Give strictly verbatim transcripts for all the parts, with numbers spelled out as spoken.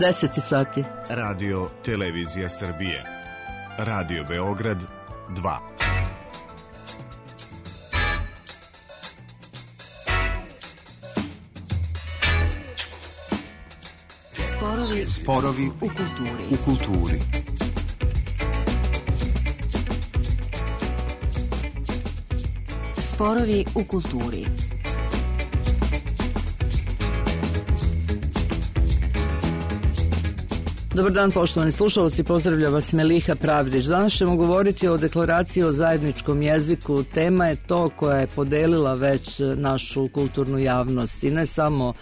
deset sati. Radio Televizija Srbije. Radio Beograd dva. Sporovi, Sporovi u kulturi. U kulturi. Sporovi u kulturi. Dobar dan, poštovani slušalci, pozdravlja vas Meliha Pravdić. Danas ćemo govoriti o deklaraciji o zajedničkom jeziku. Tema je to koja je podelila već našu kulturnu javnost i ne samo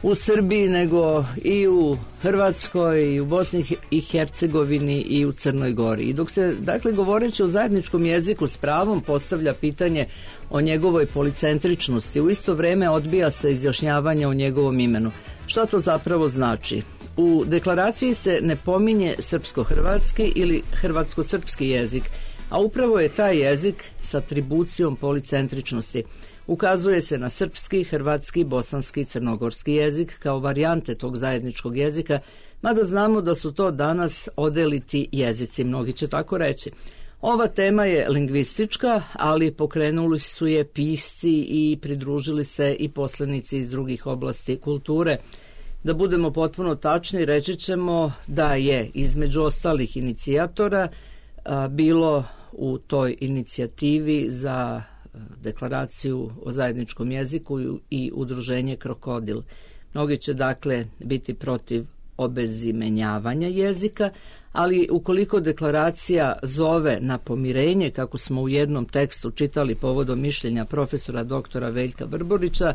u Srbiji, nego i u Hrvatskoj, i u Bosni i Hercegovini i u Crnoj Gori. I dok se, dakle, govoreći o zajedničkom jeziku s pravom postavlja pitanje o njegovoj policentričnosti, u isto vreme odbija se izjašnjavanje o njegovom imenu. Šta to zapravo znači? U deklaraciji se ne pominje srpsko-hrvatski ili hrvatsko-srpski jezik, a upravo je taj jezik s atribucijom policentričnosti. Ukazuje se na srpski, hrvatski, bosanski i crnogorski jezik kao varijante tog zajedničkog jezika, mada znamo da su to danas odeliti jezici, mnogi će tako reći. Ova tema je lingvistička, ali pokrenuli su je pisci i pridružili se i poslanici iz drugih oblasti kulture. Da budemo potpuno tačni, reći ćemo da je između ostalih inicijatora a, bilo u toj inicijativi za deklaraciju o zajedničkom jeziku i udruženje Krokodil. Mnogi će dakle biti protiv obezimenjavanja jezika, ali ukoliko deklaracija zove na pomirenje, kako smo u jednom tekstu čitali povodom mišljenja profesora doktora Veljka Brborića,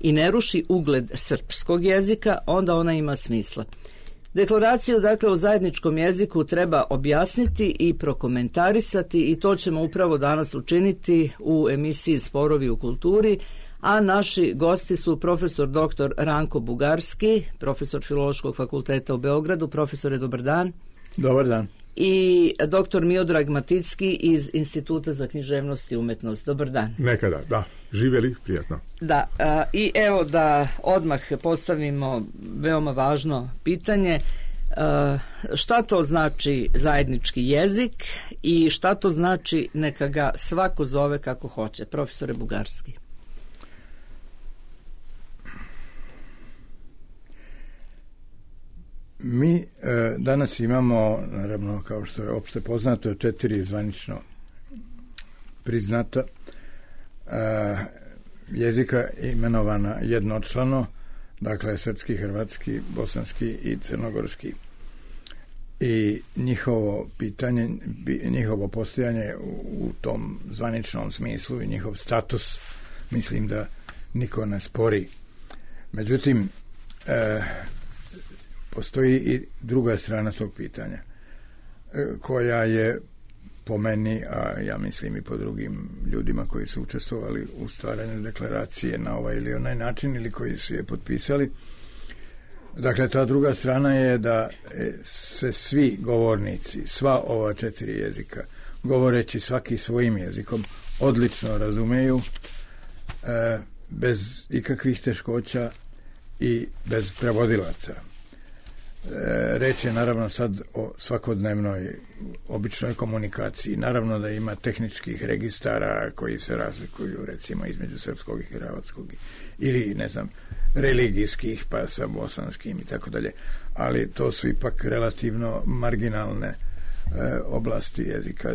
i ne ruši ugled srpskog jezika, onda ona ima smisla. Deklaraciju, dakle, o zajedničkom jeziku treba objasniti i prokomentarisati i to ćemo upravo danas učiniti u emisiji Sporovi u kulturi, a naši gosti su profesor doktor Ranko Bugarski, profesor Filološkog fakulteta u Beogradu. Profesore, dobar dan. Dobar dan. I doktor Miodrag Maticki iz Instituta za književnost i umetnost. Dobar dan. Nekada, da. Živjeli, prijatno. Da, a, i evo da odmah postavimo veoma važno pitanje. A, šta to znači zajednički jezik i šta to znači neka ga svako zove kako hoće? Profesore Bugarski. Mi e, danas imamo, naravno, kao što je opšte poznato, četiri zvanično priznata e, jezika imenovana jednočlano, dakle srpski, hrvatski, bosanski i crnogorski. I njihovo pitanje, njihovo postojanje u, u tom zvaničnom smislu i njihov status, mislim da niko ne spori. Međutim, e, postoji i druga strana tog pitanja, koja je po meni, a ja mislim i po drugim ljudima koji su učestvovali u stvaranju deklaracije na ovaj ili onaj način ili koji su je potpisali. Dakle, ta druga strana je da se svi govornici, sva ova četiri jezika, govoreći svaki svojim jezikom, odlično razumeju, bez ikakvih teškoća i bez prevodilaca. Reč je naravno sad o svakodnevnoj običnoj komunikaciji. Naravno da ima tehničkih registara koji se razlikuju recimo između srpskog i hrvatskog ili ne znam religijskih pa sa bosanskim i tako dalje, ali to su ipak relativno marginalne e, oblasti jezika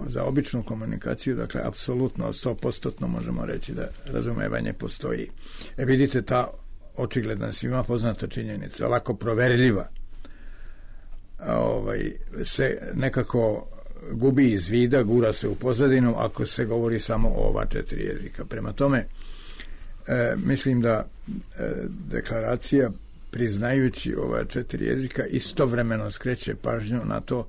za običnu komunikaciju. Dakle, apsolutno sto posto možemo reći da razumevanje postoji. E vidite, ta očigledna svima poznata činjenica, lako proverljiva, ovaj, se nekako gubi iz vida, gura se u pozadinu ako se govori samo o ova četiri jezika. Prema tome, e, mislim da e, deklaracija, priznajući ova četiri jezika, istovremeno skreće pažnju na to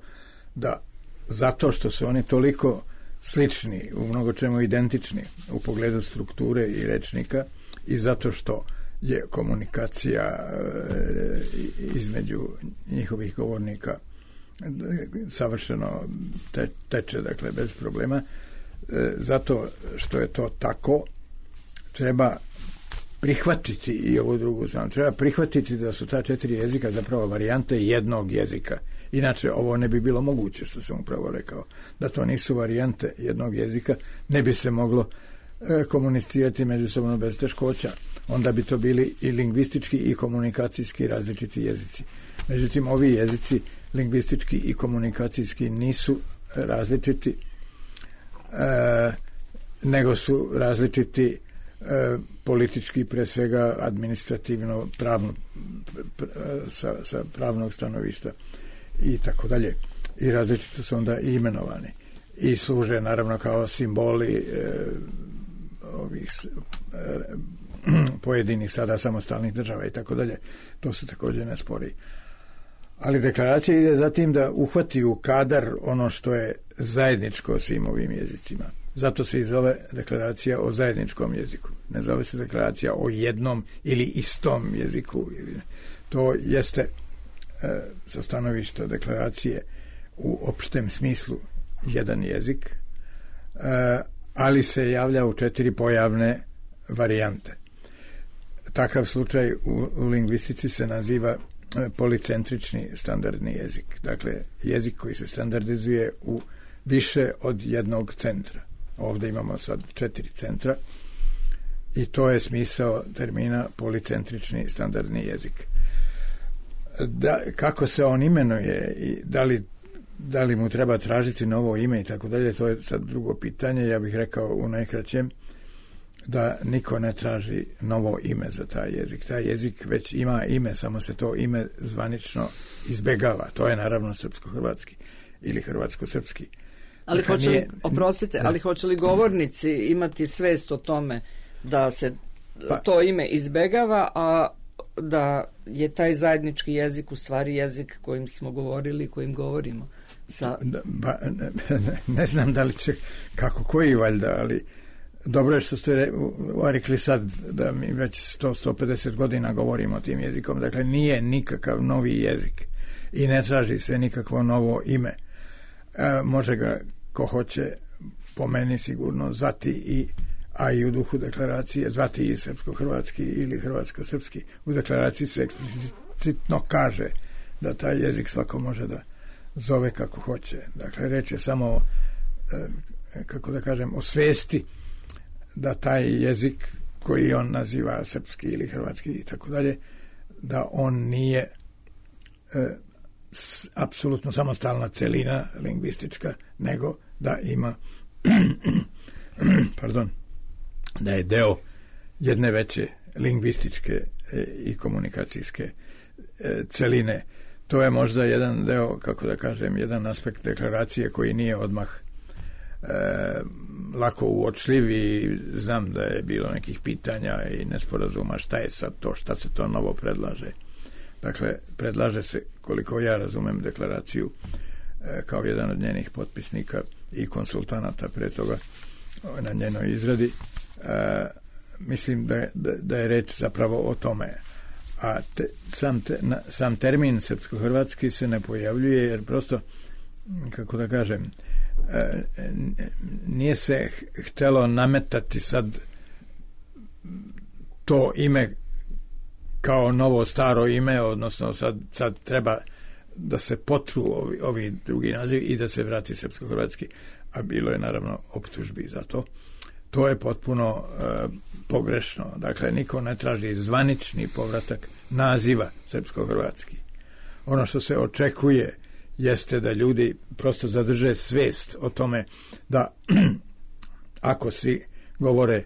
da zato što su oni toliko slični, u mnogo čemu identični u pogledu strukture i rečnika i zato što je komunikacija između njihovih govornika savršeno te, teče, dakle, bez problema. Zato što je to tako, treba prihvatiti i ovu drugu stranu. Treba prihvatiti da su ta četiri jezika zapravo varijante jednog jezika. Inače, ovo ne bi bilo moguće, što sam upravo rekao. Da to nisu varijante jednog jezika, ne bi se moglo e, komunicirati međusobno bez teškoća. Onda bi to bili i lingvistički i komunikacijski različiti jezici. Međutim, ovi jezici lingvistički i komunikacijski nisu različiti, e, nego su različiti e, politički, pre svega administrativno, pravno, pr, sa, sa pravnog stanovišta i tako dalje. I različito su onda i imenovani. I služe naravno kao simboli e, ovih e, pojedinih sada samostalnih država i tako dalje. To se također ne spori. Ali deklaracija ide za tim da uhvati u kadar ono što je zajedničko svim ovim jezicima. Zato se i zove deklaracija o zajedničkom jeziku. Ne zove se deklaracija o jednom ili istom jeziku. To jeste e, sa stanovišta deklaracije u opštem smislu jedan jezik, e, ali se javlja u četiri pojavne varijante. Takav slučaj u, u lingvistici se naziva policentrični standardni jezik. Dakle, jezik koji se standardizuje u više od jednog centra. Ovdje imamo sad četiri centra i to je smisao termina policentrični standardni jezik. Da, kako se on imenuje i da li, da li mu treba tražiti novo ime i tako dalje, to je sad drugo pitanje. Ja bih rekao u najkraćem da niko ne traži novo ime za taj jezik. Taj jezik već ima ime, samo se to ime zvanično izbegava. To je naravno srpsko-hrvatski ili hrvatsko-srpski. Ali hoće li, oprostite, ali hoće li govornici imati svest o tome da se pa, to ime izbegava, a da je taj zajednički jezik u stvari jezik kojim smo govorili, kojim govorimo? Sa... Ba, ne, ne znam da li će, kako koji valjda, ali dobro je što ste rekli sad da mi već sto do sto pedeset godina govorimo tim jezikom. Dakle, nije nikakav novi jezik i ne traži se nikakvo novo ime. E, može ga ko hoće, po meni sigurno, zvati i, a i u duhu deklaracije, zvati i srpsko-hrvatski ili hrvatsko-srpski. U deklaraciji se eksplicitno kaže da taj jezik svako može da zove kako hoće. Dakle, reč je samo, e, kako da kažem, o svesti da taj jezik koji on naziva srpski ili hrvatski i tako dalje, da on nije e, s, apsolutno samostalna celina lingvistička, nego da ima pardon, da je deo jedne veće lingvističke e, i komunikacijske e, celine. To je možda jedan deo, kako da kažem, jedan aspekt deklaracije koji nije odmah E, lako uočljiv i znam da je bilo nekih pitanja i nesporazuma šta je sad to, šta se to novo predlaže. Dakle, predlaže se, koliko ja razumem deklaraciju, e, kao jedan od njenih potpisnika i konsultanata pre toga na njenoj izradi, e, mislim da je, da, da je reč zapravo o tome. A te, sam, te, na, sam termin srpsko-hrvatski se ne pojavljuje jer prosto, kako da kažem, nije se htelo nametati sad to ime kao novo staro ime, odnosno sad, sad treba da se potru ovi, ovi drugi naziv i da se vrati srpsko-hrvatski, a bilo je naravno optužbi za to. To je potpuno e, pogrešno. Dakle, niko ne traži zvanični povratak naziva srpsko-hrvatski. Ono što se očekuje jeste da ljudi prosto zadrže svest o tome da ako svi govore,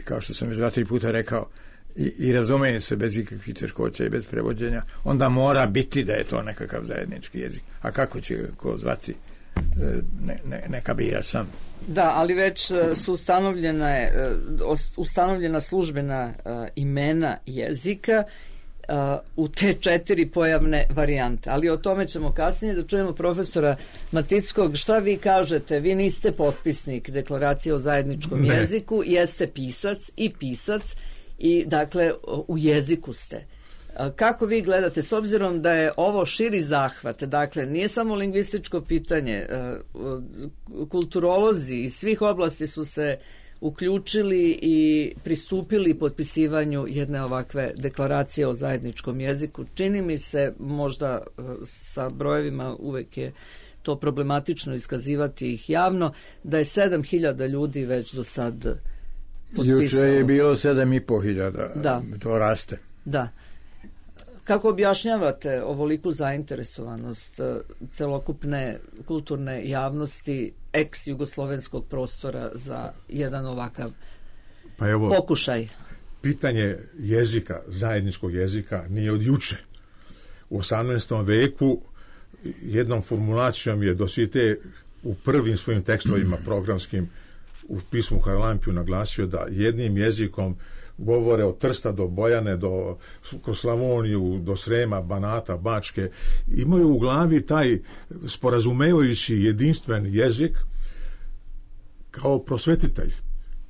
kao što sam već dva, tri puta rekao, i, i razumeju se bez ikakvih teškoća i bez prevođenja, onda mora biti da je to nekakav zajednički jezik. A kako će ko zvati, ne, ne, neka bira sam. Da, ali već su ustanovljena, ustanovljena službena imena jezika u te četiri pojavne varijante. Ali o tome ćemo kasnije da čujemo profesora Matickog. Šta vi kažete? Vi niste potpisnik deklaracije o zajedničkom ne. jeziku, jeste pisac i pisac i dakle u jeziku ste. Kako vi gledate, s obzirom da je ovo širi zahvat, dakle nije samo lingvističko pitanje, kulturolozi iz svih oblasti su se uključili i pristupili potpisivanju jedne ovakve deklaracije o zajedničkom jeziku. Čini mi se, možda sa brojevima uvek je to problematično iskazivati ih javno, da je sedam hiljada ljudi već do sad potpisalo. Juče je bilo sedam i po hiljada, da. To raste. Da. Kako objašnjavate ovoliku zainteresovanost celokupne kulturne javnosti ex-jugoslovenskog prostora za jedan ovakav pa evo, pokušaj? Pitanje jezika, zajedničkog jezika, nije od juče. U osamnaestom veku jednom formulacijom je Dosite u prvim svojim tekstovima programskim u pismu Haralampiju naglasio da jednim jezikom govore od Trsta do Bojane, do, kroz Slavoniju, do Srema, Banata, Bačke, imaju u glavi taj sporazumevajući jedinstven jezik kao prosvetitelj.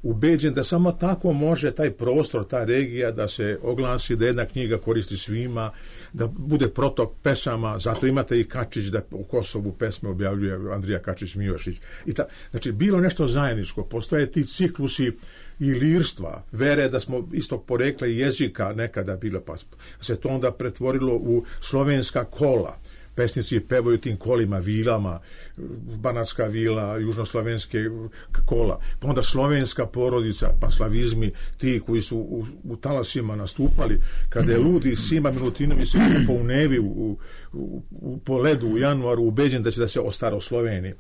Ubeđen da samo tako može taj prostor, ta regija da se oglasi, da jedna knjiga koristi svima, da bude protok pesama, zato imate i Kačić da u Kosovu pesme objavljuje Andrija Kačić-Mijošić. I ta, znači, bilo nešto zajedničko, postoje ti ciklusi i lirstva, vere da smo istog porekla i jezika nekada bilo, pa se to onda pretvorilo u slovenska kola. Pesnici pevaju tim kolima, vilama, banatska vila, južnoslovenske kola, pa onda slovenska porodica, pa slavizmi, ti koji su u, u talasima nastupali, kada je Ludi Sima Milutinović se kupao u Nevi u, u, u, po ledu u januaru, ubeđen da će da se ostaro Sloveniji.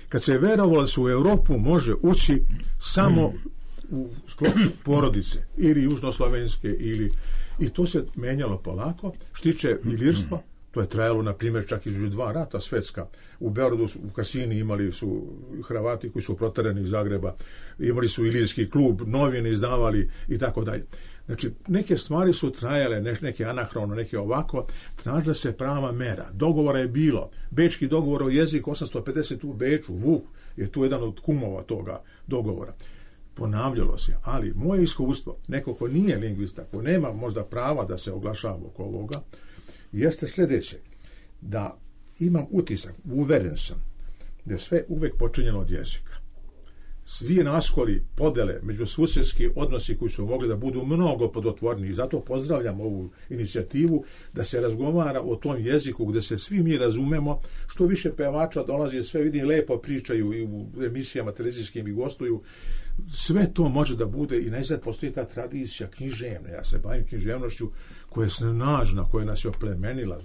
Kad se verovalo da se u Europu može ući samo u sklopu porodice, ili južnoslovenske, ili... I to se menjalo polako, što tiče i lirstva. To je trajalo, na primjer, čak između dva rata svetska. U Beogradu, u Kasini imali su Hrvati koji su proterani iz Zagreba, imali su ilirski klub, novine izdavali i tako dalje. Znači, neke stvari su trajale, neke anahrono, neke ovako, tražila se prava mera. Dogovora je bilo. Bečki dogovor o jeziku osamsto pedeset u Beču, Vuk je tu jedan od kumova toga dogovora. Ponavljalo se, ali moje iskustvo, neko ko nije lingvista, ko nema možda prava da se oglašava oko ovoga, jeste sljedeće, da imam utisak, uveren sam, da je sve uvek počinjeno od jezika. Svi raskoli, podele, međususjedski odnosi koji su mogli da budu mnogo plodotvorniji, i zato pozdravljam ovu inicijativu da se razgovara o tom jeziku gde se svi mi razumemo, što više pevača dolazi, sve vidim lepo pričaju i u emisijama televizijskim i gostuju, sve to može da bude i najzad postoji ta tradicija književna, ja se bavim književnošću koja je snažna, koja nas je oplemenila,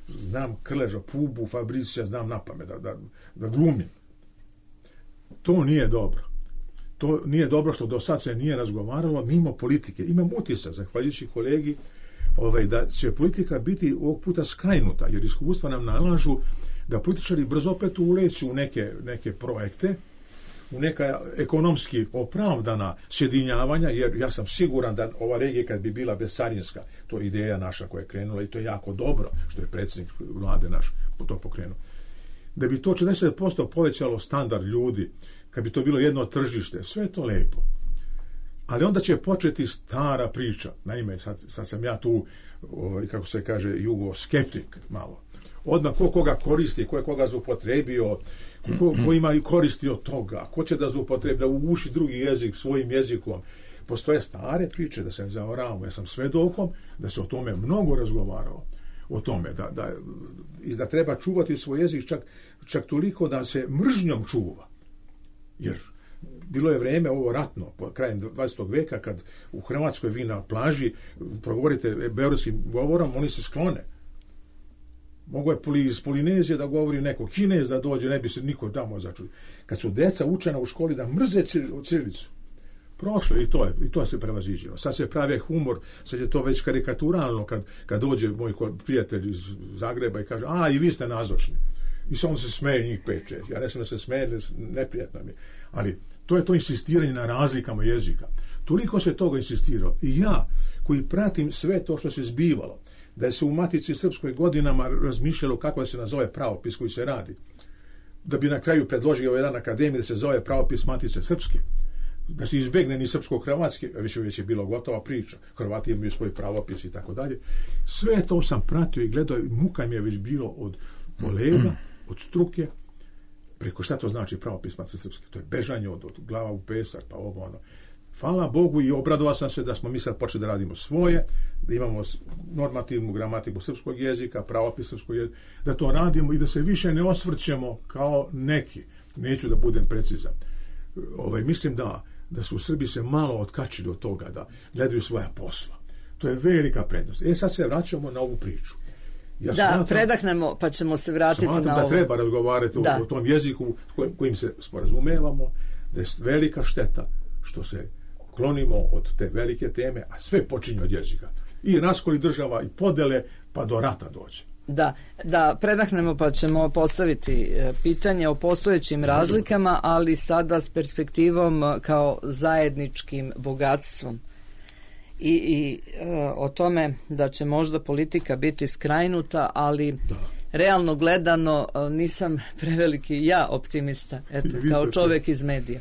znam Krleža, Pubu, Fabricija, znam napamet da, da, da glumim. To nije dobro. To nije dobro što do sad se nije razgovaralo mimo politike. Imam utisak, zahvaljujući kolegi, ovaj, da će politika biti ovog puta skrajnuta, jer iskustva nam nalažu da političari brzo opet uleću u neke, neke projekte, u neka ekonomski opravdana sjedinjavanja, jer ja sam siguran da ova regija kad bi bila bezcarinska, to je ideja naša koja je krenula i to je jako dobro što je predsjednik vlade naš to pokrenuo. Da bi to četrdeset posto povećalo standard ljudi, kad bi to bilo jedno tržište, sve je to lepo. Ali onda će početi stara priča. Naime, sad, sad sam ja tu, ovaj, kako se kaže, jugoskeptik malo. Odmah ko koga koristi, ko je koga zloupotrebio, ko, ko ima i koristi od toga, ko će da zloupotrebi, da uguši drugi jezik svojim jezikom. Postoje stare priče, da se ne zavaravamo. Ja sam svedokom da se o tome mnogo razgovarao. O tome, da, da, i da treba čuvati svoj jezik čak, čak toliko da se mržnjom čuva. Jer bilo je vrijeme ovo ratno, po krajem dvadesetog veka, kad u Hrvatskoj vi na plaži progovorite beogradskim govorom, oni se sklone. Mogu je iz Polinezije da govori neko Kinez da dođe, ne bi se niko tamo začuo. Kad su deca učena u školi da mrze cirilicu, prošlo i to je, i to je se prevaziđeno. Sad se pravi humor, sad je to već karikaturalno kad, kad dođe moj prijatelj iz Zagreba i kaže, a i vi ste nazočni. I samo se smeje njih pet, šest. Ja ne sam da se smeje, neprijatno mi. Ali to je to insistiranje na razlikama jezika. Toliko se toga insistiralo. I ja, koji pratim sve to što se zbivalo, da je se u Matici Srpskoj godinama razmišljalo kako da se nazove pravopis koji se radi, da bi na kraju predložio jedan akademij da se zove pravopis Matice Srpske, da se izbegne ni srpsko-hrvatski, već, već je bilo gotova priča, Hrvati imaju svoj pravopis i tako dalje. Sve to sam pratio i gledao, muka mi je već bilo od kolega, od struke, preko šta to znači pravopismac srpski, to je bežanje od, od glava u pesak, pa ovo ono. Hvala Bogu i obradovao sam se da smo mi sad počeli da radimo svoje, da imamo normativnu gramatiku srpskog jezika, pravopis srpskog jezika, da to radimo i da se više ne osvrćemo kao neki. Neću da budem precizan. Ovaj, mislim da, da su u Srbiji se malo otkačili od toga da gledaju svoja posla. To je velika prednost. E sad se vraćamo na ovu priču. Ja da, smatram, predahnemo pa ćemo se vratiti na ovo. Smatram da treba razgovarati o, o tom jeziku kojim, kojim se sporazumevamo, da je velika šteta što se klonimo od te velike teme, a sve počinje od jezika. I raskoli država i podele, pa do rata dođe. Da, da predahnemo pa ćemo postaviti pitanje o postojećim razlikama, ali sada s perspektivom kao zajedničkim bogatstvom. I, i o tome da će možda politika biti skrajnuta, ali da. Realno gledano nisam preveliki ja optimista, eto, kao čovjek iz medija.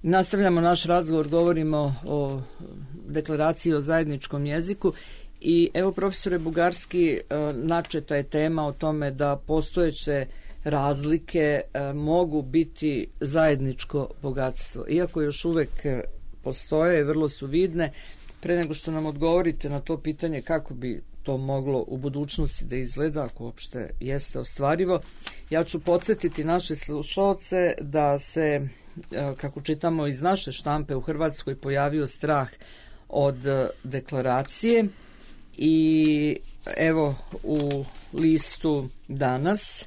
Nastavljamo naš razgovor, govorimo o deklaraciji o zajedničkom jeziku i evo, profesore Bugarski, načeta je tema o tome da postojeće razlike mogu biti zajedničko bogatstvo. Iako još uvek postoje, vrlo su vidne, pre nego što nam odgovorite na to pitanje kako bi to moglo u budućnosti da izgleda, ako uopšte jeste ostvarivo, ja ću podsjetiti naše slušalce da se, kako čitamo iz naše štampe, u Hrvatskoj pojavio strah od deklaracije i evo u listu Danas,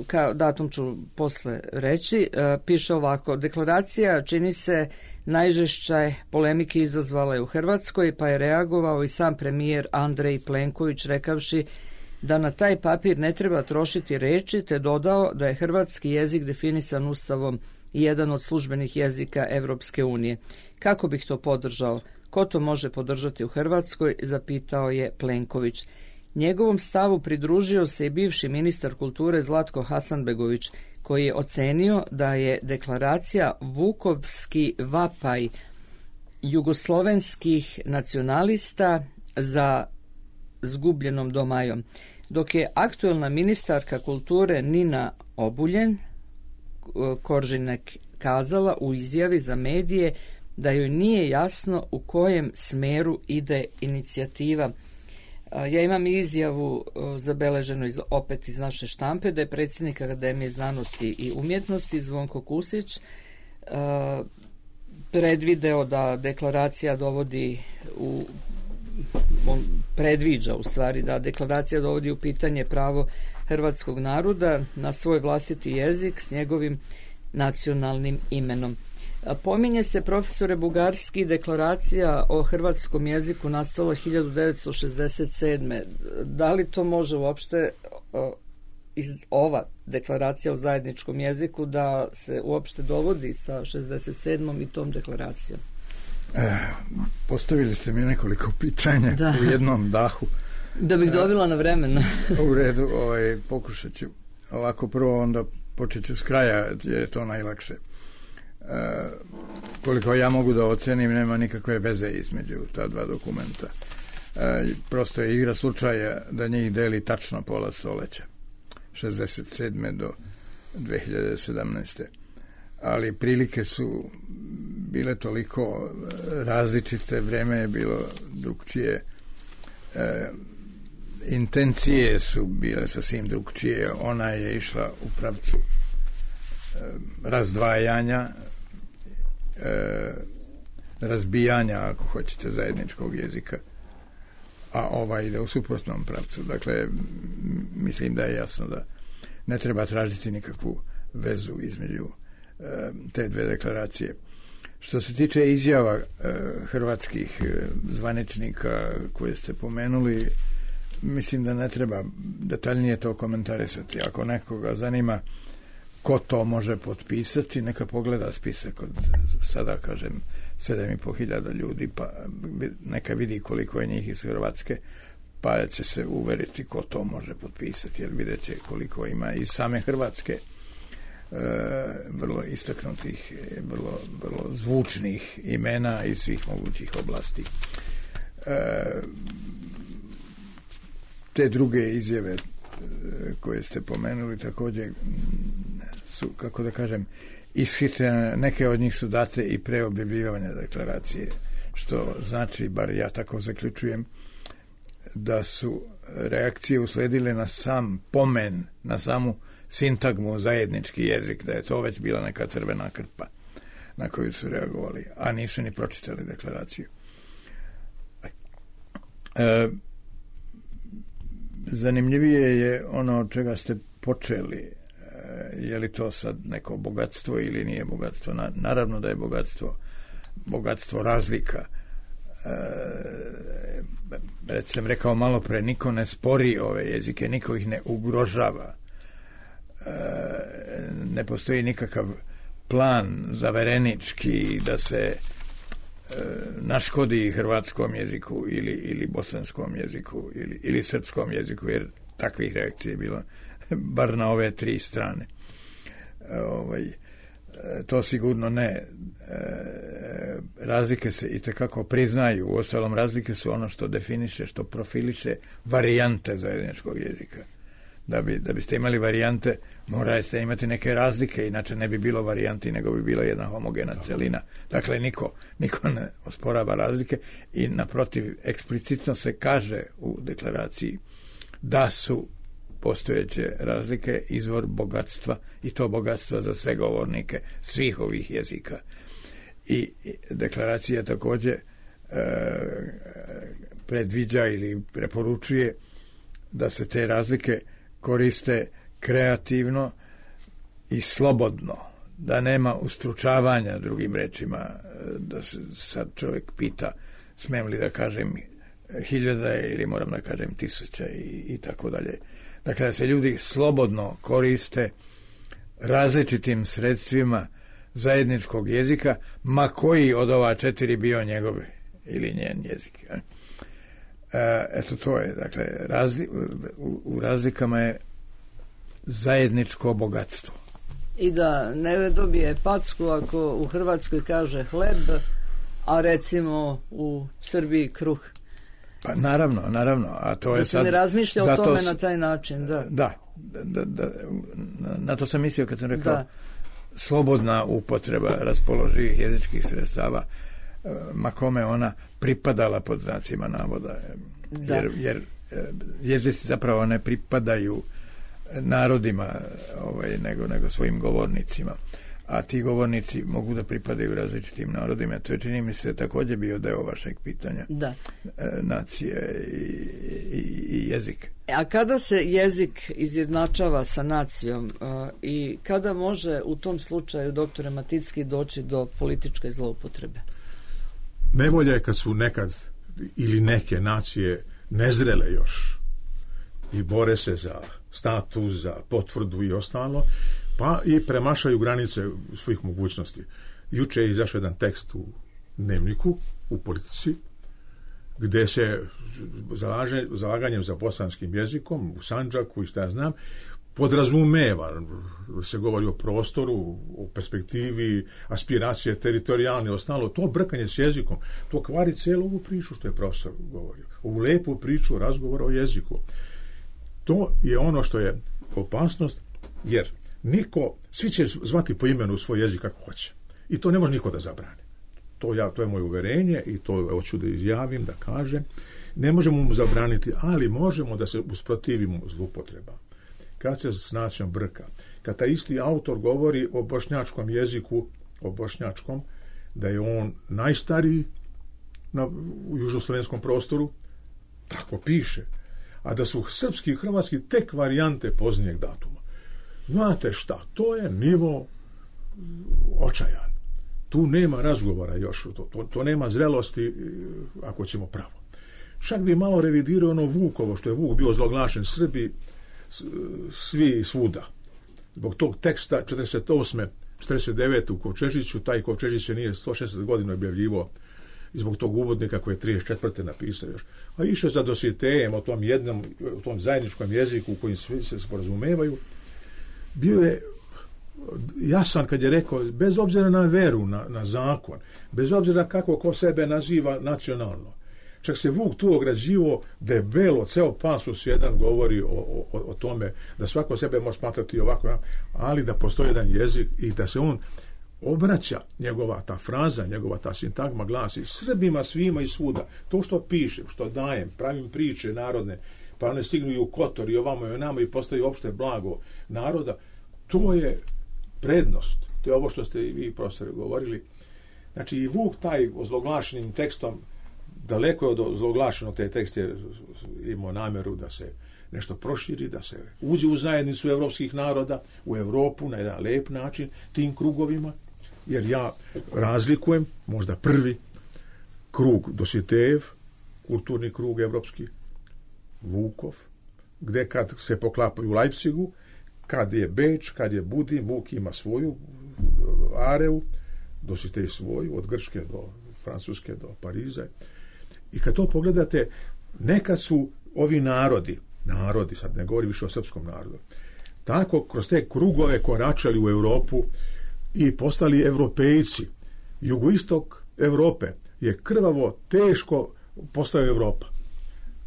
kao datum ću posle reći, piše ovako: deklaracija čini se najžešće polemike izazvala je u Hrvatskoj, pa je reagovao i sam premijer Andrej Plenković rekavši da na taj papir ne treba trošiti reči, te dodao da je hrvatski jezik definisan Ustavom i jedan od službenih jezika Evropske unije. Kako bih to podržao? Ko to može podržati u Hrvatskoj? Zapitao je Plenković. Njegovom stavu pridružio se i bivši ministar kulture Zlatko Hasanbegović, koji je ocenio da je deklaracija vukovski vapaj jugoslovenskih nacionalista za zgubljenom domajom, dok je aktuelna ministarka kulture Nina Obuljen Koržinek kazala u izjavi za medije da joj nije jasno u kojem smeru ide inicijativa. Ja imam izjavu zabeleženu iz, opet iz naše štampe da je predsjednik Akademije znanosti i umjetnosti Zvonko Kusić predvideo da deklaracija dovodi u on predviđa u stvari da deklaracija dovodi u pitanje pravo hrvatskog naroda na svoj vlastiti jezik s njegovim nacionalnim imenom. Pominje se, profesore Bugarski, deklaracija o hrvatskom jeziku nastala hiljadu devetsto šezdeset sedme. Da li to može uopšte iz ova deklaracija o zajedničkom jeziku da se uopšte dovodi sa šezdeset sedmom i tom deklaracijom? E, postavili ste mi nekoliko pitanja da. U jednom dahu. Da bih dobila na vremena. U redu, ovaj, pokušat ću. Ovako prvo, onda počet ću s kraja, jer je to najlakše. E, koliko ja mogu da ocenim, nema nikakve veze između ta dva dokumenta. E, prosto je igra slučaja da njih deli tačno pola stoleća. šezdeset sedme do dve hiljade sedamnaeste. Ali prilike su bile toliko različite, vreme je bilo drugčije, e, intencije su bile sasvim drugčije. Ona je išla u pravcu e, razdvajanja, e, razbijanja, ako hoćete, zajedničkog jezika, a ova ide u suprotnom pravcu. Dakle, mislim da je jasno da ne treba tražiti nikakvu vezu između te dve deklaracije. Što se tiče izjava e, hrvatskih e, zvaničnika koje ste pomenuli, mislim da ne treba detaljnije to komentarisati. Ako nekoga zanima ko to može potpisati, neka pogleda spisak od sada, kažem, sedam i po hiljada ljudi, pa neka vidi koliko je njih iz Hrvatske, pa će se uveriti ko to može potpisati, jer vidjet će koliko ima iz same Hrvatske e, vrlo istaknutih, vrlo, vrlo zvučnih imena iz svih mogućih oblasti. E, te druge izjave koje ste pomenuli također su, kako da kažem, ishitrene. Neke od njih su date i pre objavljivanja deklaracije, što znači, bar ja tako zaključujem, da su reakcije usledile na sam pomen, na samu sintagmu zajednički jezik, da je to već bila neka crvena krpa na koju su reagovali, a nisu ni pročitali deklaraciju. E, zanimljivije je ono od čega ste počeli, e, je li to sad neko bogatstvo ili nije bogatstvo. Na, naravno da je bogatstvo bogatstvo razlika. E, već sam rekao malo pre, niko ne spori ove jezike, niko ih ne ugrožava. E, ne postoji nikakav plan zaverenički da se e, naškodi hrvatskom jeziku ili, ili bosanskom jeziku ili, ili srpskom jeziku, jer takvih reakcija je bilo bar na ove tri strane. E, ovaj, to sigurno ne. E, razlike se itekako priznaju. Uostalom, razlike su ono što definiše, što profiliše varijante zajedničkog jezika. Da, bi, da biste imali varijante, morate imati neke razlike, inače ne bi bilo varijanti, nego bi bila jedna homogena celina. Dakle, niko, niko ne osporava razlike i naprotiv, eksplicitno se kaže u deklaraciji da su postojeće razlike izvor bogatstva, i to bogatstva za sve govornike svih ovih jezika. I deklaracija također e, predviđa ili preporučuje da se te razlike koriste kreativno i slobodno, da nema ustručavanja, drugim rečima, da se sad čovjek pita smem li da kažem hiljada ili moram da kažem tisuća i, i tako dalje. Dakle, da se ljudi slobodno koriste različitim sredstvima zajedničkog jezika, ma koji od ova četiri bio njegov ili njen jezik. E, eto, to je, dakle, razli, u, u razlikama je zajedničko bogatstvo. I da ne dobije packu ako u Hrvatskoj kaže hleb, a recimo u Srbiji kruh. Pa naravno, naravno. A to da je se sad, ne razmišlja o tome s... na taj način. Da, da, da, da na, na to sam mislio kad sam rekao da. Slobodna upotreba raspoloživih jezičkih sredstava, ma kome ona pripadala pod znacima navoda. Da. Jer, jer jezici zapravo ne pripadaju narodima ovaj, nego, nego svojim govornicima. A ti govornici mogu da pripadaju različitim narodima. To je, čini mi se, također bio deo vašeg pitanja. Da. Nacije i, i, i jezik. A kada se jezik izjednačava sa nacijom uh, i kada može u tom slučaju, doktore Maticki, doći do političke zloupotrebe? Nevolja je kad su nekad ili neke nacije nezrele još i bore se za status, za potvrdu i ostalo, pa i premašaju granice svojih mogućnosti. Juče je izašao jedan tekst u Dnevniku, u Politici, gde se zalaže, zalaganjem za bosanskim jezikom, u Sandžaku i šta ja znam, podrazumeva, se govori o prostoru, o perspektivi, aspiracije, teritorijalne, ostalo, to brkanje s jezikom, to kvari cijelu ovu priču što je profesor govorio. Ovu lepu priču, razgovor o jeziku. To je ono što je opasnost, jer niko, svi će zvati po imenu svoj jezik kako hoće. I to ne može niko da zabrani. To, ja, to je moje uverenje i to hoću da izjavim, da kažem. Ne možemo mu zabraniti, ali možemo da se usprotivimo zloupotreba. Kad se s nacijom brka, kad taj isti autor govori o bošnjačkom jeziku, o bošnjačkom, da je on najstariji na, u južnoslovenskom prostoru, tako piše, a da su srpski i hrvatski tek varijante poznijeg datuma. Znate šta, to je nivo očajan. Tu nema razgovora još, to, to, to nema zrelosti, ako ćemo pravo. Čak bi malo revidirao ono Vukovo, što je Vuk bio zloglašen Srbi, svi i svuda. Zbog tog teksta četrdeset osme četrdeset devete u Kovčežiću, taj Kovčežić se nije sto šesdeset godina objavljivo i zbog tog uvodnika koji je trideset četvrte napisao još. A išao za Dositejem o tom jednom, o tom zajedničkom jeziku u kojim svi se sporazumevaju, bio je jasan kad je rekao, bez obzira na veru, na, na zakon, bez obzira kako ko sebe naziva nacionalno. Čak se Vuk tu ograđivo debelo, ceo pasus jedan govori o, o, o tome da svako sebe može smatrati ovako, ali da postoji jedan jezik i da se on obraća, njegova ta fraza, njegova ta sintagma glasi Srbima svima i svuda. To što pišem, što dajem, pravim priče narodne, pa one stignu i u Kotor i ovamo i onamo i postaju opšte blago naroda, to je prednost. To je ovo što ste i vi, profesore, govorili. Znači i Vuk taj ozloglašenim tekstom, daleko od zloglašenog te tekst je imao namjeru da se nešto proširi, da se uđe u zajednicu evropskih naroda, u Evropu na jedan lep način, tim krugovima, jer ja razlikujem možda prvi krug Dositejev, kulturni krug evropski, Vukov, gde kad se poklapaju u Leipzigu, kad je Beč, kad je Budim, Vuk ima svoju areu, Dositej svoju, od Grčke do Francuske do Pariza. I kad to pogledate, nekad su ovi narodi, narodi, sad ne govori više o srpskom narodu, tako kroz te krugove koračali u Europu i postali evropejci. Jugoistok Evrope je krvavo, teško postao Evropa.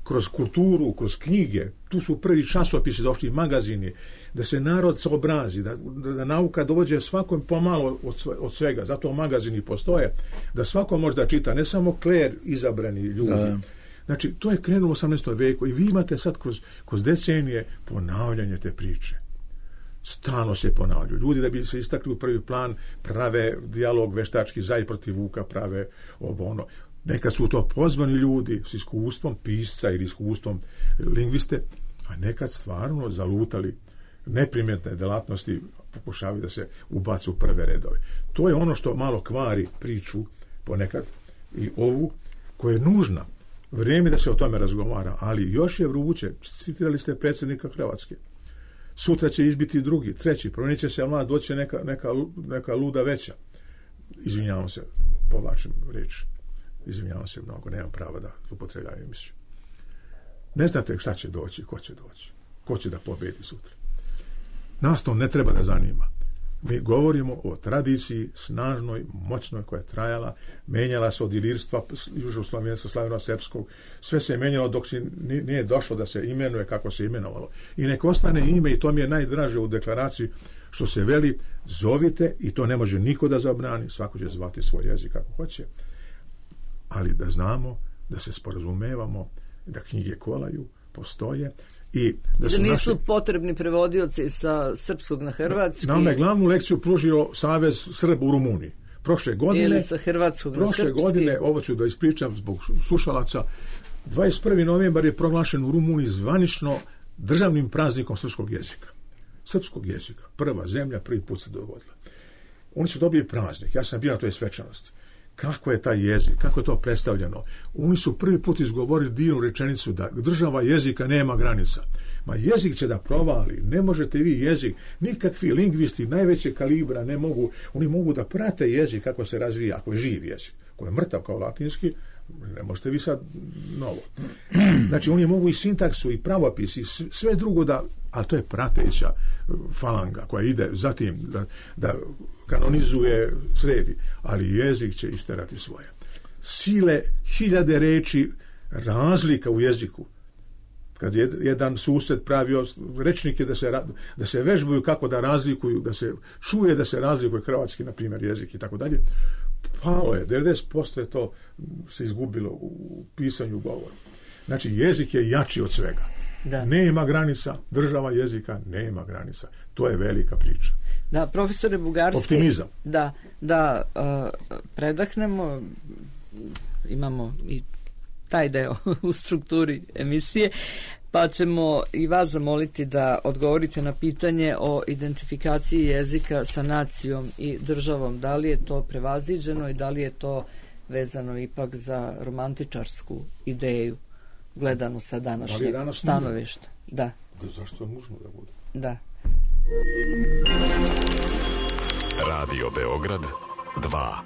Kroz kulturu, kroz knjige, tu su prvi časopisi došli, magazini, da se narod se obrazi, da, da, da nauka dođe svakom pomalo od, sve, od svega, zato magazini postoje, da svako može da čita, ne samo kler izabrani ljudi. Da. Znači, to je krenulo u osamnaestom veku i vi imate sad kroz, kroz decenije ponavljanje te priče. Stalno se ponavljaju. Ljudi da bi se istakli u prvi plan prave dijalog veštački za i protiv Vuka, prave ovo ono. Nekad su to pozvani ljudi s iskustvom pisca ili iskustvom lingviste, a nekad stvarno zalutali neprimjetne delatnosti, pokušavaju da se ubacu u prve redove. To je ono što malo kvari priču ponekad i ovu koja je nužna. Vrijeme da se o tome razgovara, ali još je vruće. Citirali ste predsjednika Hrvatske. Sutra će izbiti drugi, treći, promijenit će se mlad, doći neka, neka, neka luda veća. Izvinjavam se, povlačim riječ. Izvinjavam se mnogo, nemam prava da upotrebljavim emisiju. Ne znate šta će doći, ko će doći. Ko će da pobedi sutra. Nas to ne treba da zanima. Mi govorimo o tradiciji snažnoj, moćnoj, koja je trajala, menjala se od ilirstva, južnoslavenstva, slaveno-srpskog, sve se je menjalo dok se nije došlo da se imenuje kako se imenovalo. I nek ostane ime, i to mi je najdraže u deklaraciji, što se veli, zovite, i to ne može niko da zabrani, svako će zvati svoj jezik kako hoće, ali da znamo, da se sporazumevamo, da knjige kolaju, postoje, i da, da nisu naši... potrebni prevodioci sa srpskog na hrvatski. Nama je glavnu lekciju pružio Savez Srba u Rumuniji. Prošle godine, ili sa hrvatskog na prošle srpski. godine, ovo ću da ispričam zbog slušalaca, dvadeset prvi novembar je proglašen u Rumuniji zvanično državnim praznikom srpskog jezika. Srpskog jezika. Prva zemlja, prvi put se dogodila. Oni su dobili praznik. Ja sam bio na toj svečanosti. Kako je taj jezik, kako je to predstavljeno. Oni su prvi put izgovorili divnu rečenicu da država jezika nema granica. Ma jezik će da provali, ne možete vi jezik, nikakvi lingvisti najveće kalibra ne mogu, oni mogu da prate jezik kako se razvija, ako je živ jezik. Ako je mrtav kao latinski, ne možete vi sad novo. Znači oni mogu i sintaksu i pravopis i sve drugo da, ali to je prateća falanga koja ide zatim da, da kanonizuje, sredi, ali jezik će isterati svoje. Sile, hiljade reči, razlika u jeziku. Kad je jedan sused pravio rečnike da se, da se vežbaju kako da razlikuju, da se čuje da se razlikuje hrvatski, na primjer, jezik i tako dalje, palo je, devedeset posto je to se izgubilo u pisanju govora. Znači, jezik je jači od svega. Da. Nema granica, država jezika nema granica. To je velika priča. Da, profesore Bugarski, optimizam. Da, da uh, predahnemo, imamo i taj deo u strukturi emisije, pa ćemo i vas zamoliti da odgovorite na pitanje o identifikaciji jezika sa nacijom i državom. Da li je to prevaziđeno i da li je to vezano ipak za romantičarsku ideju gledanu sa današnjeg stanovišta? Da. Da. Zašto je nužno da bude? Da. Radio Beograd dva.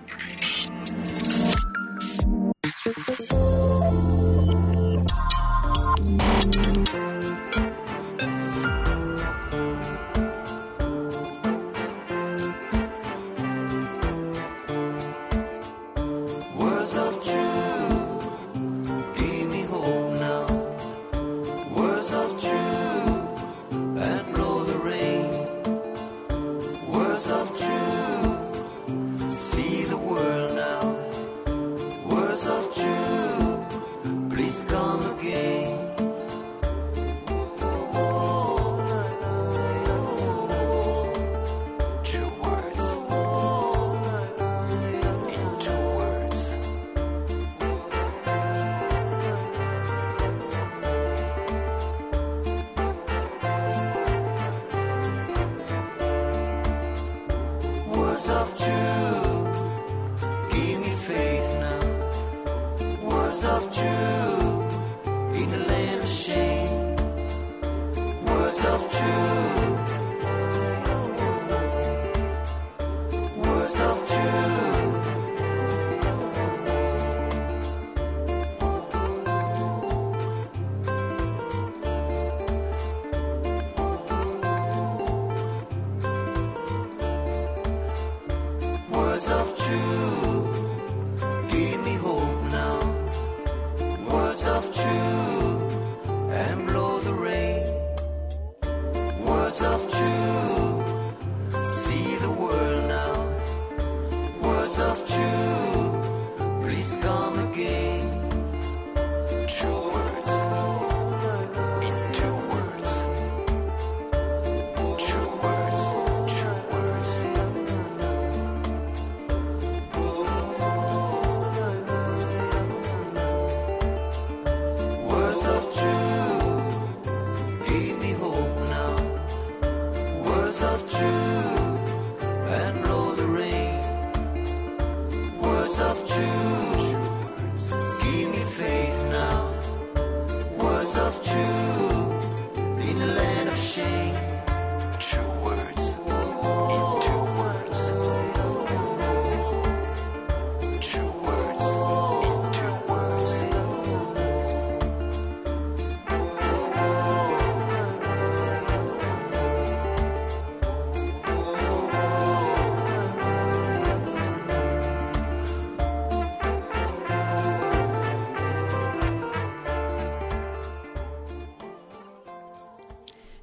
Give me faith now.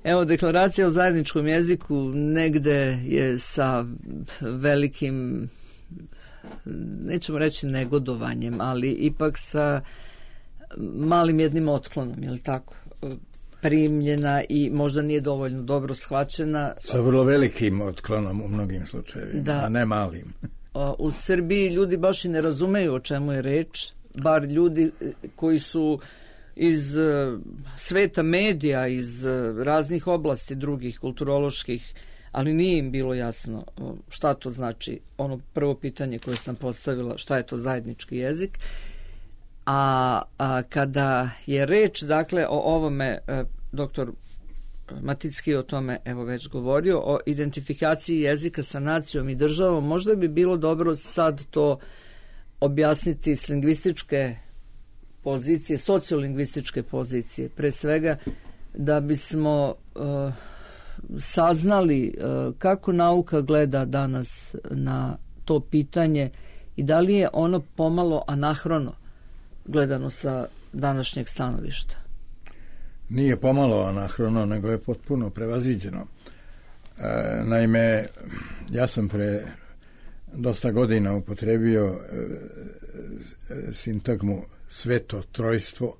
Evo, deklaracija o zajedničkom jeziku negde je sa velikim, nećemo reći negodovanjem, ali ipak sa malim jednim otklonom, je li tako? Primljena i možda nije dovoljno dobro shvaćena. Sa vrlo velikim otklonom u mnogim slučajevima, da. A ne malim. U Srbiji ljudi baš i ne razumeju o čemu je reč, bar ljudi koji su iz sveta medija, iz raznih oblasti drugih, kulturoloških, ali nije im bilo jasno šta to znači. Ono prvo pitanje koje sam postavila, šta je to zajednički jezik. A, a kada je reč, dakle, o ovome, e, doktor Maticki o tome evo već govorio, o identifikaciji jezika sa nacijom i državom, možda bi bilo dobro sad to objasniti s lingvističke pozicije, sociolingvističke pozicije, pre svega da bismo e, saznali e, kako nauka gleda danas na to pitanje i da li je ono pomalo anahrono gledano sa današnjeg stanovišta. Nije pomalo anahrono, nego je potpuno prevaziđeno. E, naime, ja sam pre dosta godina upotrebio e, sintagmu sveto trojstvo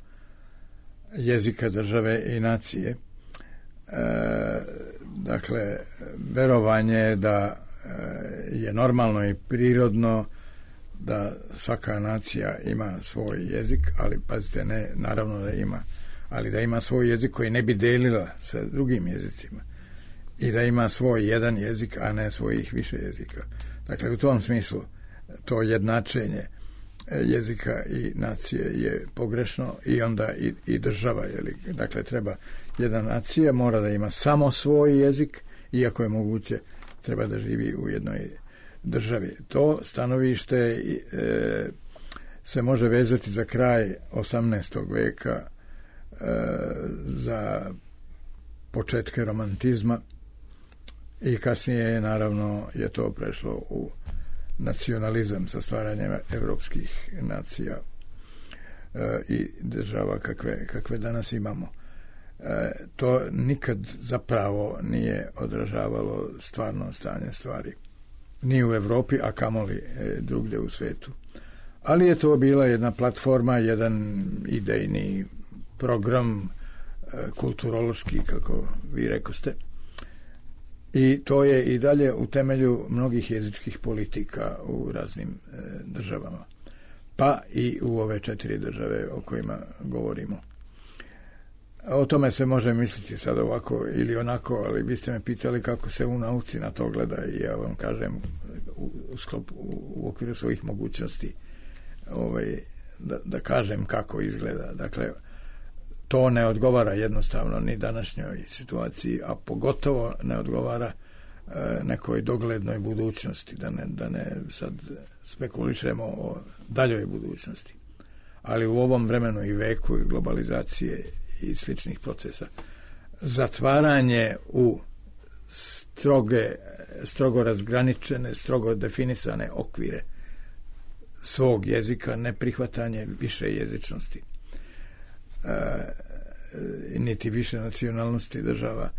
jezika, države i nacije. E, dakle, verovanje da e, je normalno i prirodno da svaka nacija ima svoj jezik, ali pazite, ne, naravno da ima, ali da ima svoj jezik koji ne bi delila sa drugim jezicima i da ima svoj jedan jezik, a ne svojih više jezika. Dakle, u tom smislu to jednačenje jezika i nacije je pogrešno i onda i, i država, jeli? Dakle, treba jedna nacija mora da ima samo svoj jezik, iako je moguće treba da živi u jednoj državi. To stanovište e, se može vezati za kraj osamnaestog veka, e, za početke romantizma i kasnije naravno je to prešlo u nacionalizam sa stvaranjem evropskih nacija e, i država kakve, kakve danas imamo. E, to nikad zapravo nije odražavalo stvarno stanje stvari. Ni u Evropi, a kamoli e, drugdje u svetu. Ali je to bila jedna platforma, jedan idejni program, e, kulturološki, kako vi rekoste. I to je i dalje u temelju mnogih jezičkih politika u raznim e, državama. Pa i u ove četiri države o kojima govorimo. O tome se može misliti sad ovako ili onako, ali vi ste me pitali kako se u nauci na to gleda i ja vam kažem u, u, sklop, u, u okviru svojih mogućnosti ovaj, da, da kažem kako izgleda. Dakle, to ne odgovara jednostavno ni današnjoj situaciji, a pogotovo ne odgovara e, nekoj doglednoj budućnosti, da ne, da ne sad spekulišemo o daljoj budućnosti. Ali u ovom vremenu i veku i globalizacije i sličnih procesa, zatvaranje u stroge, strogo razgraničene, strogo definisane okvire svog jezika, neprihvatanje više jezičnosti, e, niti više nacionalnosti država,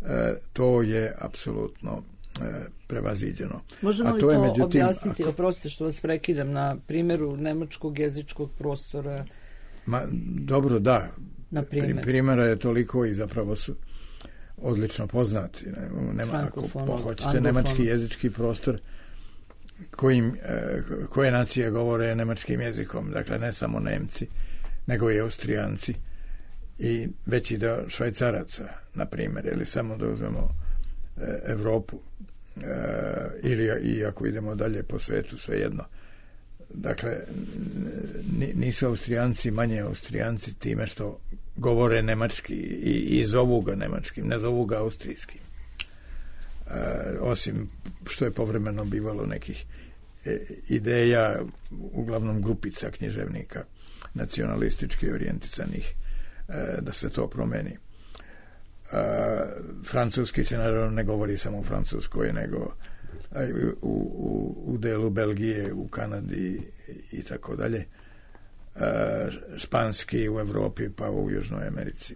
e, to je apsolutno e, prevaziđeno. Možemo A li to, to je, međutim, objasniti, ako... oprostite što vas prekidam, na primjeru nemačkog jezičkog prostora? Ma, dobro, da. Na primjer. Primjera je toliko i zapravo su odlično poznati. Nema, ako hoćete nemački jezički prostor kojim, koje nacije govore nemačkim jezikom, dakle ne samo Nemci, nego i Austrijanci i veći deo Švajcaraca, na primjer, ili samo da uzmemo Evropu, ili i ako idemo dalje po svetu, svejedno. Dakle, nisu Austrijanci manje Austrijanci time što govore nemački i, i zovu ga nemačkim, ne zovu ga austrijskim. E, osim što je povremeno bivalo nekih e, ideja, uglavnom grupica književnika nacionalistički orijentisanih, e, da se to promeni. E, francuski se naravno ne govori samo u Francuskoj, nego u, u, u delu Belgije, u Kanadi i tako dalje. Španski u Evropi, pa u Južnoj Americi.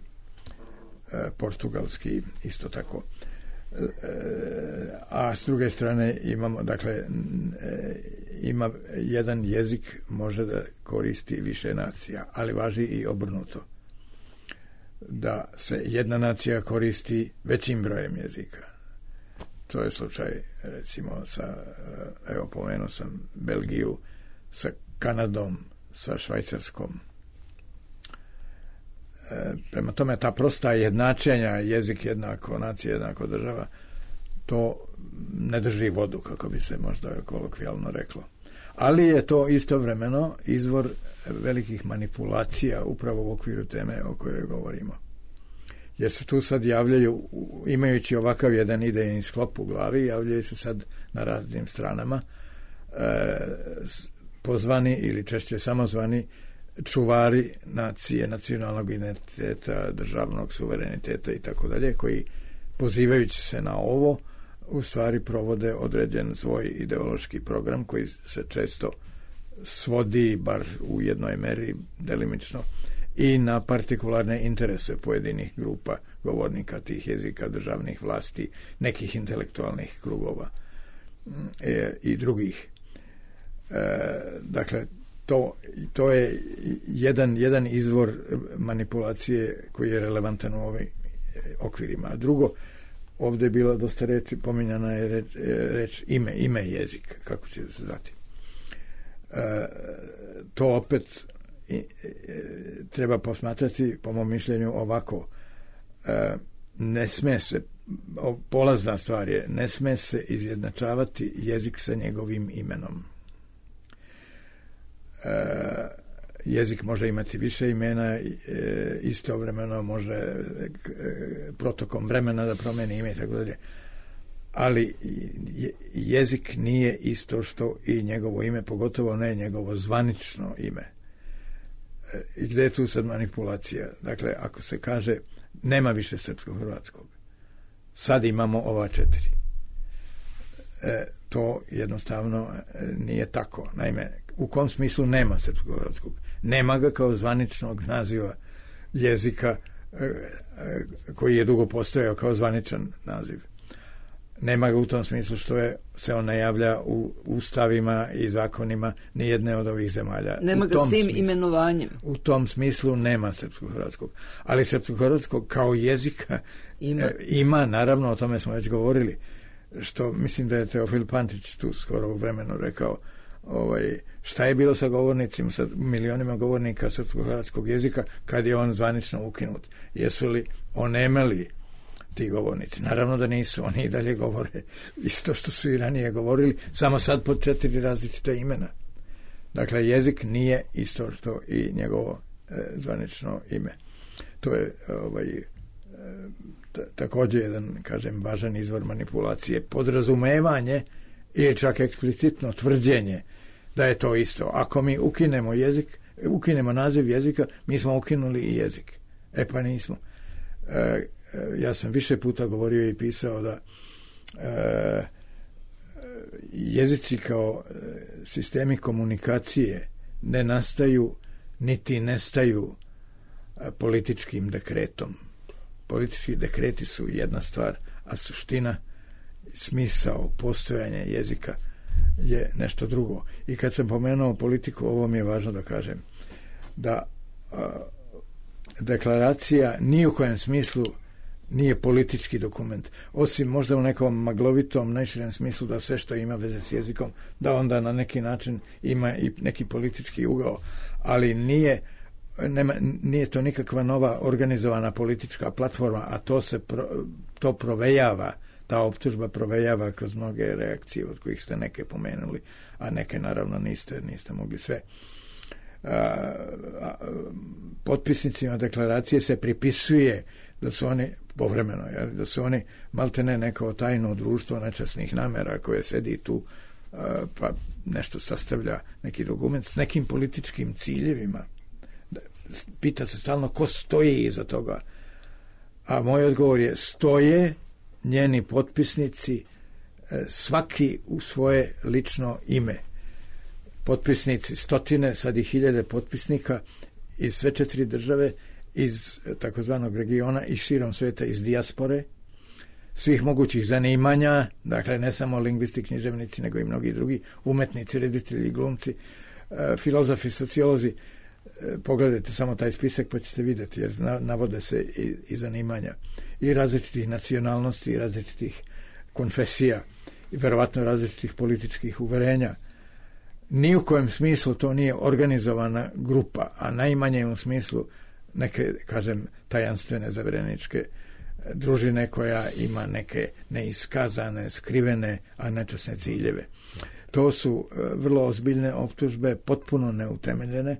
portugalski isto tako. A s druge strane imamo, dakle, ima jedan jezik može da koristi više nacija, ali važi i obrnuto. Da se jedna nacija koristi većim brojem jezika. To je slučaj, recimo, sa, evo, pomenuo sam Belgiju, sa Kanadom, sa Švajcarskom. E, prema tome, ta prosta jednačenja, jezik jednako, nacija jednako država, to ne drži vodu, kako bi se možda kolokvijalno reklo. Ali je to istovremeno izvor velikih manipulacija upravo u okviru teme o kojoj govorimo. Jer se tu sad javljaju, imajući ovakav jedan idejni sklop u glavi, javljaju se sad na raznim stranama e, pozvani ili češće samozvani čuvari nacije, nacionalnog identiteta, državnog suvereniteta i tako dalje, koji pozivajući se na ovo u stvari provode određen svoj ideološki program koji se često svodi, bar u jednoj meri delimično, i na partikularne interese pojedinih grupa govornika tih jezika, državnih vlasti, nekih intelektualnih krugova e, i drugih. E, dakle, to, to je jedan, jedan izvor manipulacije koji je relevantan u ovim okvirima. A drugo, ovdje je bilo dosta reči, pominjana je reč, reč ime, ime jezika, kako će se zvati. E, to opet i, e, treba posmatrati, po mom mišljenju, ovako. E, ne sme se, polazna stvar je, ne sme se izjednačavati jezik sa njegovim imenom. E, jezik može imati više imena, e, istovremeno može e, protokom vremena da promeni ime i tako dalje. Ali je, jezik nije isto što i njegovo ime, pogotovo ne njegovo zvanično ime. E, I gde je tu sad manipulacija? Dakle, ako se kaže nema više srpsko-hrvatskog, sad imamo ova četiri. E, to jednostavno nije tako. Naime, u kom smislu nema srpsko-hrvatskog? Nema ga kao zvaničnog naziva jezika e, koji je dugo postojao kao zvaničan naziv. Nema ga u tom smislu što je, se on ne javlja u ustavima i zakonima nijedne od ovih zemalja. Nema ga s tim smislu, imenovanjem. U tom smislu nema srpsko-hrvatskog. Ali srpsko-hrvatskog kao jezika ima. E, ima, naravno, o tome smo već govorili, što mislim da je Teofil Pantić tu skoro u vremenu rekao, ovaj, šta je bilo sa govornicima, sa milionima govornika srpsko-hrvatskog jezika kad je on zvanično ukinut? Jesu li onemeli ti govornici? Naravno da nisu, oni i dalje govore isto što su i ranije govorili, samo sad pod četiri različita imena. Dakle, jezik nije isto što i njegovo e, zvanično ime. To je ovaj, e, t- također jedan, kažem, važan izvor manipulacije, podrazumevanje ili čak eksplicitno tvrđenje da je to isto. Ako mi ukinemo jezik, ukinemo naziv jezika, mi smo ukinuli i jezik. E pa nismo. E, ja sam više puta govorio i pisao da e, jezici kao sistemi komunikacije ne nastaju niti nestaju političkim dekretom. Politički dekreti su jedna stvar, a suština, smisao, postojanje jezika je nešto drugo. I kad sam pomenuo politiku, ovo mi je važno da kažem, da a, deklaracija ni u kojem smislu nije politički dokument, osim možda u nekom maglovitom, najširem smislu da sve što ima veze s jezikom, da onda na neki način ima i neki politički ugao, ali nije, nema, nije to nikakva nova organizovana politička platforma, a to se pro, to provejava, ta optužba provejava kroz mnoge reakcije, od kojih ste neke pomenuli, a neke naravno niste, niste mogli sve. A, a, potpisnicima deklaracije se pripisuje da su oni povremeno, jel, da su oni maltene neko tajno društvo nečasnih namera koje sedi tu a, pa nešto sastavlja neki dokument s nekim političkim ciljevima. Pita se stalno ko stoji iza toga. A moj odgovor je, stoje njeni potpisnici, svaki u svoje lično ime. Potpisnici, stotine, sad i hiljade potpisnika iz sve četiri države iz takozvanog regiona i širom sveta, iz dijaspore, svih mogućih zanimanja, dakle ne samo lingvisti, književnici, nego i mnogi drugi, umetnici, reditelji, glumci, filozofi, sociolozi. Pogledajte samo taj spisak pa ćete vidjeti, jer navode se i, i zanimanja i različitih nacionalnosti, i različitih konfesija, i verovatno različitih političkih uverenja. Ni u kojem smislu to nije organizovana grupa, a najmanje u smislu neke, kažem, tajanstvene zavereničke družine koja ima neke neiskazane, skrivene, a nečasne ciljeve. To su vrlo ozbiljne optužbe, potpuno neutemeljene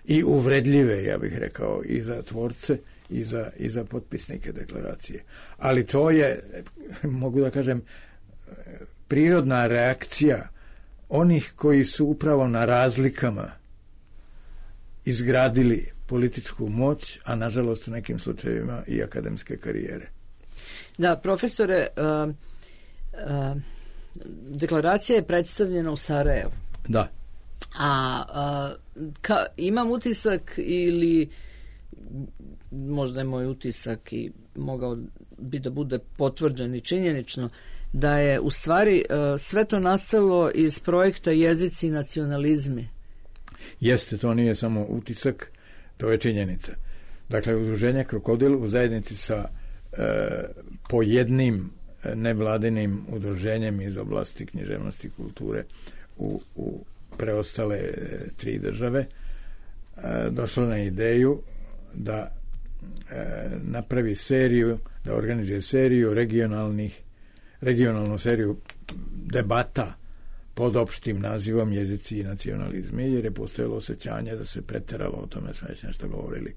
i uvredljive, ja bih rekao, i za tvorce i za, i za potpisnike deklaracije. Ali to je, mogu da kažem, prirodna reakcija onih koji su upravo na razlikama izgradili političku moć, a nažalost u nekim slučajevima i akademske karijere. Da, profesore, uh, uh, deklaracija je predstavljena u Sarajevu. Da. A, a ka, imam utisak ili možda je moj utisak i mogao bi da bude potvrđen i činjenično, da je u stvari uh, sve to nastalo iz projekta Jezici i nacionalizmi. Jeste, to nije samo utisak, to je činjenica. Dakle, udruženje Krokodil u zajednici sa uh, po jednim nevladinim udruženjem iz oblasti književnosti i kulture u, u preostale tri države uh, došlo na ideju da uh, napravi seriju, da organizuje seriju regionalnih regionalnu seriju debata pod opštim nazivom Jezici i nacionalizmi, jer je postojalo osjećanje da se preteralo, o tome smo već nešto govorili,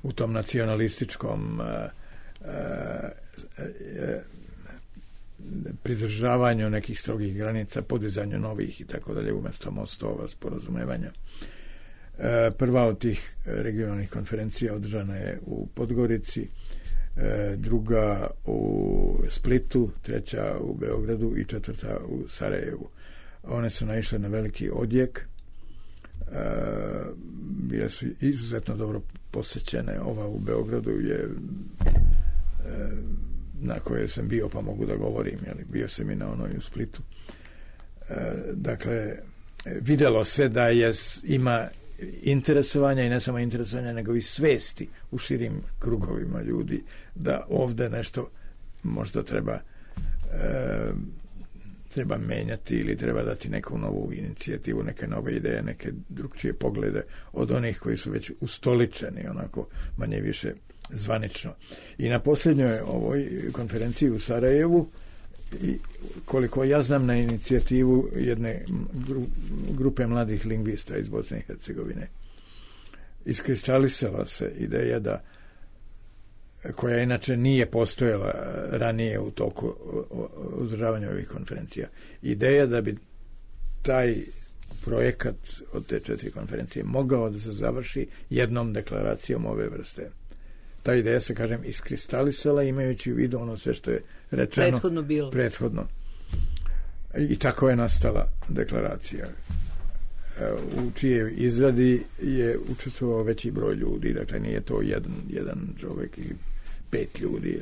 u tom nacionalističkom uh, uh, uh, pridržavanju nekih strogih granica, podizanju novih i tako dalje, umjesto mostova, sporazumevanja. Uh, prva od tih regionalnih konferencija održana je u Podgorici, druga u Splitu, treća u Beogradu i četvrta u Sarajevu. One su naišle na veliki odjek, bile su izuzetno dobro posećene. Ova u Beogradu je na kojoj sam bio, pa mogu da govorim, jeli, bio sam i na onoj u Splitu. Dakle, vidjelo se da je, ima interesovanja i ne samo interesovanja, nego i svesti u širim krugovima ljudi da ovdje nešto možda treba e, treba menjati ili treba dati neku novu inicijativu, neke nove ideje, neke drugčije poglede od onih koji su već ustoličeni onako manje više zvanično. I na posljednjoj ovoj konferenciji u Sarajevu, i koliko ja znam, na inicijativu jedne grupe mladih lingvista iz Bosne i Hercegovine, iskristalisala se ideja da, koja inače nije postojala ranije u toku održavanja ovih konferencija, ideja da bi taj projekat od te četiri konferencije mogao da se završi jednom deklaracijom ove vrste. Ta ideja se, kažem, iskristalisala imajući u vidu ono sve što je rečeno prethodno bilo. Prethodno. I tako je nastala deklaracija, u čijoj izradi je učestvovao veći broj ljudi, dakle nije to jedan, jedan čovjek ili pet ljudi.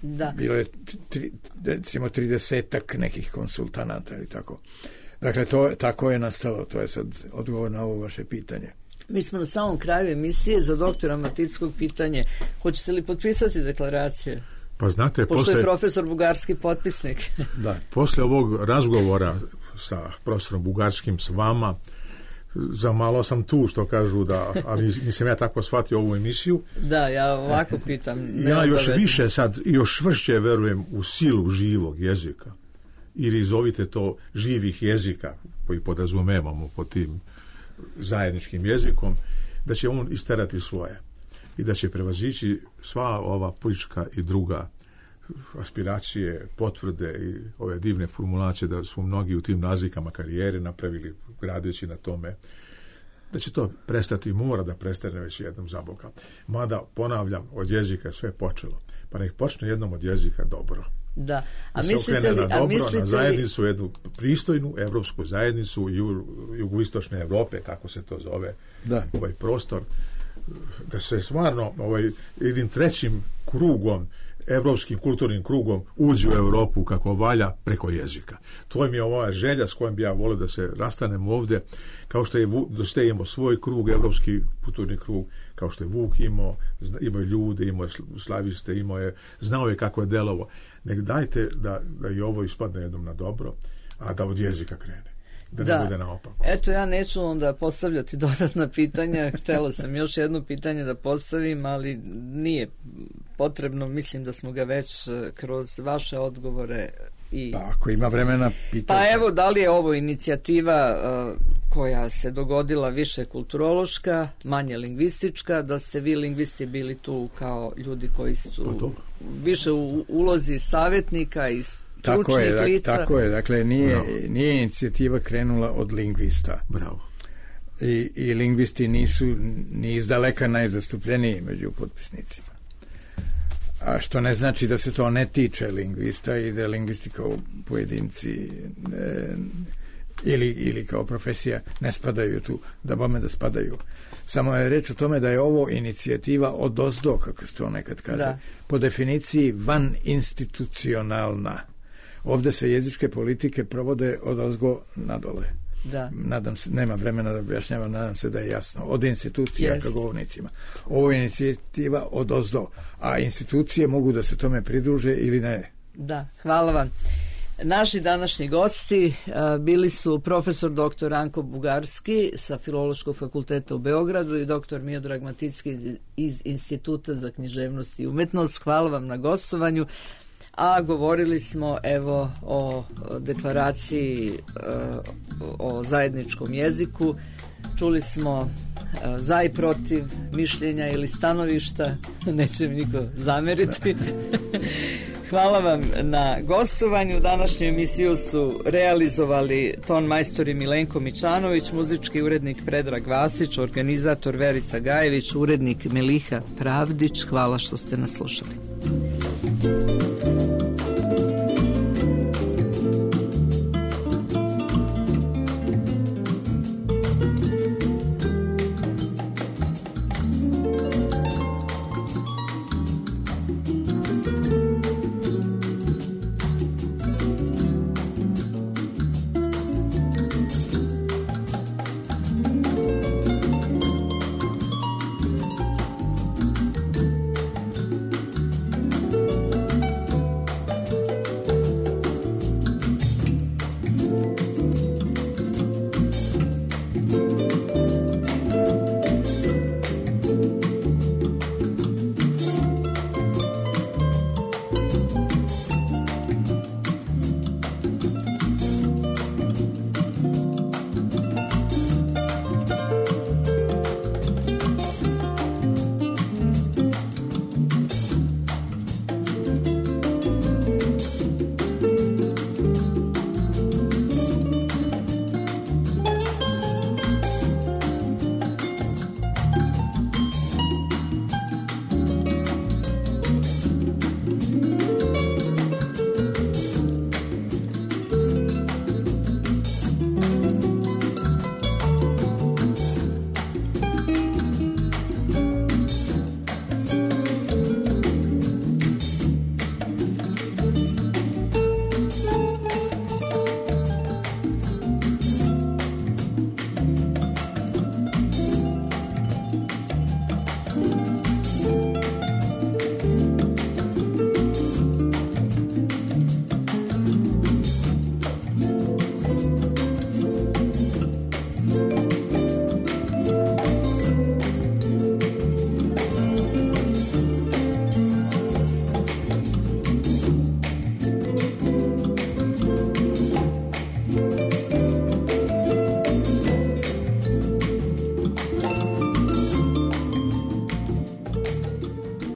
Da. Bilo je tri, recimo tridesetak nekih konsultanata ili tako. Dakle, to, tako je nastalo, to je sad odgovor na ovo vaše pitanje. Mi smo na samom kraju emisije. Za doktora Matickog pitanje: hoćete li potpisati deklaraciju? Pa znate, pošto posle, je profesor Bugarski potpisnik. Da. Posle ovog razgovora sa profesorom Bugarskim, s vama, za malo sam tu, što kažu, da, ali nisam ja tako shvatio ovu emisiju. Da, ja ovako pitam. Ja još više sad, još vršće verujem u silu živog jezika. Ili zovite to živih jezika, koji podrazumevamo pod tim zajedničkim jezikom, da će on isterati svoje i da će prevazići sva ova politička i druga aspiracije, potvrde i ove divne formulacije da su mnogi u tim nazvikama karijere napravili gradeći na tome, da će to prestati, mora da prestane već jednom za Boga. Mada, ponavljam, od jezika sve počelo, pa nek počne jednom od jezika dobro. Da. A da mislite li, na dobro, a mislite na zajednicu, jednu pristojnu evropsku zajednicu ju, jugoistočne Evrope, kako se to zove, da. Ovaj prostor da se stvarno ovaj, jednim trećim krugom, evropskim kulturnim krugom uđe u Europu kako valja preko jezika. To mi je ova želja s kojom bi ja volio da se rastanemo ovde, kao što je da imao svoj krug, evropski kulturni krug, kao što je Vuk imao, imao je ljude, imao je slaviste, imao je, znao je kako je delovo. Nek dajte da, da i ovo ispadne jednom na dobro, a da od jezika krene. Da, da ne bude naopako. Eto, ja neću onda postavljati dodatna pitanja. Htela sam još jedno pitanje da postavim, ali nije potrebno. Mislim da smo ga već kroz vaše odgovore i... Pa ako ima vremena, pitanje. Pa evo, da li je ovo inicijativa uh, koja se dogodila više kulturološka, manje lingvistička, da ste vi lingvisti bili tu kao ljudi koji su više u ulozi savjetnika i tako je, lica. tako je, dakle nije, nije inicijativa krenula od lingvista. Bravo. I, i lingvisti nisu ni izdaleka najzastupljeniji među potpisnicima. A što ne znači da se to ne tiče lingvista i da lingvisti kao pojedinci ne, ili, ili kao profesija ne spadaju tu, da bome da spadaju. Samo je reč o tome da je ovo inicijativa odozdo, kako se to nekad kaže, da. Po definiciji van institucionalna. Ovde se jezičke politike provode odozgo nadole. Da. Nadam se, nema vremena da objašnjavam, nadam se da je jasno. Od institucija yes. ka govornicima. Ovo je inicijativa odozdo, a institucije mogu da se tome pridruže ili ne. Da, hvala vam. Naši današnji gosti uh, bili su profesor doktor Ranko Bugarski sa Filološkog fakulteta u Beogradu i doktor Miodrag Maticki iz Instituta za književnost i umetnost. Hvala vam na gostovanju. A govorili smo evo o deklaraciji o zajedničkom jeziku. Čuli smo za i protiv mišljenja ili stanovišta, neće mi niko zameriti. Hvala vam na gostovanju. Današnju emisiju su realizovali ton majstori Milenko Mićanović, muzički urednik Predrag Vasić, organizator Verica Gajević, urednik Meliha Pravdić. Hvala što ste nas slušali.